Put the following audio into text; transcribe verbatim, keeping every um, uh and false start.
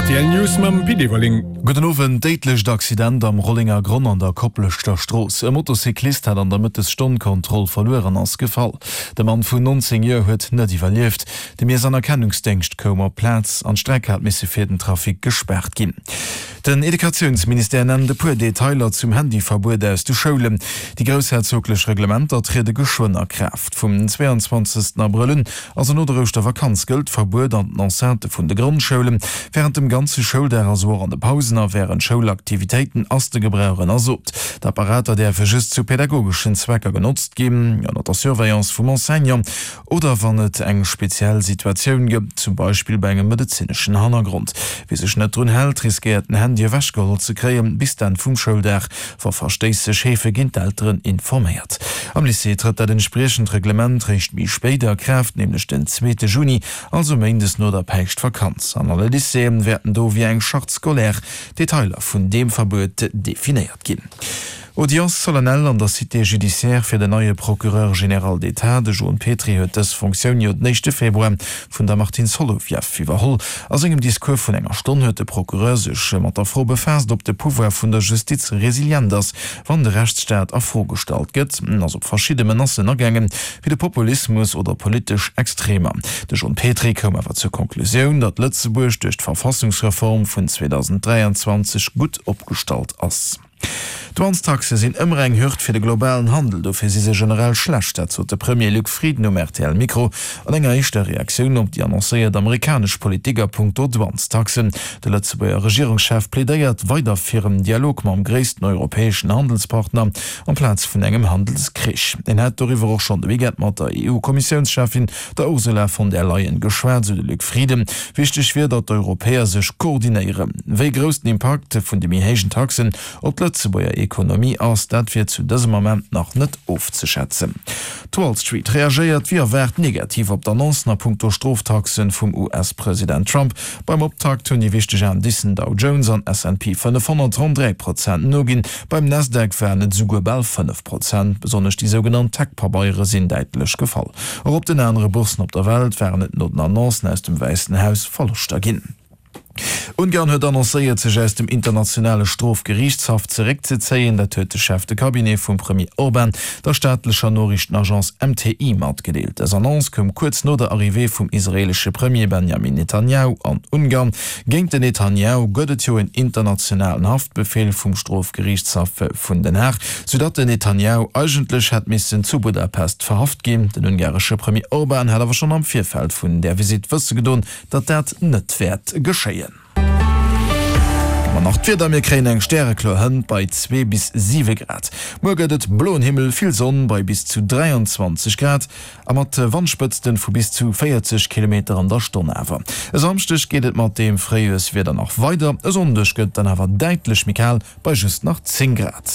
R T L News mam Pit Everling. Gudden Owend, Déidlecht Accident am Rollengergronn an der Kopleschter Strooss. E Motocyclist hat an der Mëttesstonn d'Kontroll verluer an ass gefall. De Mann vun nonzéng Joer huet net iwwerlieft. De Miess an Erkennungsdéngscht koum op d'Plaz an d'Streck hat misse fir den Trafic gespaart ginn. Den Educatiounsministère nennt e puer Detailer zum Handyverbuet aus de Schoulen. Déi groussherzoglech Reglementer triede geschwënn a Kraaft. Vum zweianzwanzegsten Abrëll un, also no der Ouschtervakanz, gëllt d'Verbuet an den Enceintë vun de Grondschoulen. Wärend dem ganze Schouldag, also och an de Pausen a wärend Schoulaktivitéiten, ass de Gebrauch ënnersot. D'Apparater däerfe just zu pädagogeschen Zwecker genotzt ginn, ënner der Surveillance vum Enseignant oder wann et eng speziell Situatioun gëtt, zum Beispill bei engem medezineschen Hannergrond. Wie sech net drun hält, riskéiert den Handy ewechgeholl ze kréien, bis d'Enn vum Schouldag. Wa Verstéiss sech heefe ginn d'Elteren informéiert. Am Lycée trëtt dat entspriechend Reglement réischt méi spéit a Kraaft, nämlech den zweete Juni, also méindes no der Päischtvakanz. An alle Lycéeë wäerten do via eng Charte scolaire d'Detailer vun deem Verbuet definéiert ginn. Audience solennelle an der Cité judiciaire fir den neie Procureur général d'État. De Joan Petry huet dës Fonctioun jo den éischte Februar vun der Martine Solovieff iwwerholl. A sengem Discours vun enger Stonn huet de Procureur sech mat der Fro befaasst, ob de Pouvoir vun der Justiz resilient ass, wann de Rechtsstaat a Fro gestallt gëtt. En ass op verschidde Menacen agaangen, wéi de Populismus oder politesch Extremer. De John Petry koum awer zur Konklusioun, datt Lëtzebuerg duerch d'Verfassungsreform vun zweedausend dräianzwanzeg gutt opgestallt ass. D'Douanestaxe sinn ëmmer eng Hürd fir de globalen Handel, dofir si se generell schlecht. Dat sot de Premier Luc Frieden um R T L-Mikro an enger éischter Reaktioun op déi annoncéiert amerikanesch Politik a punkto Douanestaxen. De Lëtzebuerger Regierungschef plädéiert weider fir en Dialog mam gréissten europäeschen Handelspartner amplaz vun engem Handelskrich. En hätt doriwwer och schonn de Weekend mat der E U-Kommissiounscheffin, der Ursula von der Leyen, geschwat, sou de Luc Frieden. Wichteg wier, datt d'Europäer sech koordinéieren. Wéi grouss den Impakt vun de méi héijen Taxen op d'Lëtzebuerger Ekonomie ass, dat wier zu dësem Ament nach net ofzeschätzen. D'Wall Street reagéiert wéi erwaart negativ op d'Annoncen a punkto Stroftaxen vum U S-President Trump. Beim Optakt hunn déi wichteg Indicen Dow Jones an S and P fënnefhonnert ronn dräi Prozent noginn. Beim Nasdaq waren et esouguer bal fënnef Prozent. Besonnesch déi sougenannt Tech-Pabeiere sinn däitlech gefall. Och op den anere Bourssen op der Welt waren et no den Annoncen aus dem Wäissen Haus Verloschter ginn. Ungarn huet annoncéiert, sech aus dem Internationale Strofgeriichtshaff zeréckzezéien. Dat huet de Chef de Cabinet vum Premier Orban der staatlecher Noriichtenagence M T I matgedeelt. Dës Annonce koum kuerz no der Arrivée vum israeelesche Premier Benjamin Netanjahu an Ungarn. Géint den Netanjahu gëtt et jo en internationalen Haftbefeel vum Strofgeriichtshaff vun Den Haag, soudatt den Netanjahu eigentlech hätt missen zu Budapest verhaft ginn. Den ungaresche Premier Orban hat awer schonn am Virfeld vun där Visitt wësse gedoen, datt dat net wäert geschéien. An nach d'Wieder, Mir kréien eng stärekloer Hënt bei zwee bis siwe Grad. Muer gëtt et bloen Himmel, vill Sonn bei bis zu dräianzwanzeg Grad a mat Wandspëtzten vu bis zu véierzeg Kilometer an der Stonn awer. E Samschdeg geet et mat deem Fréijoerswieder nach weider, e Sonndeg gëtt dann awer däitlech méi kal bei just nach zéng Grad.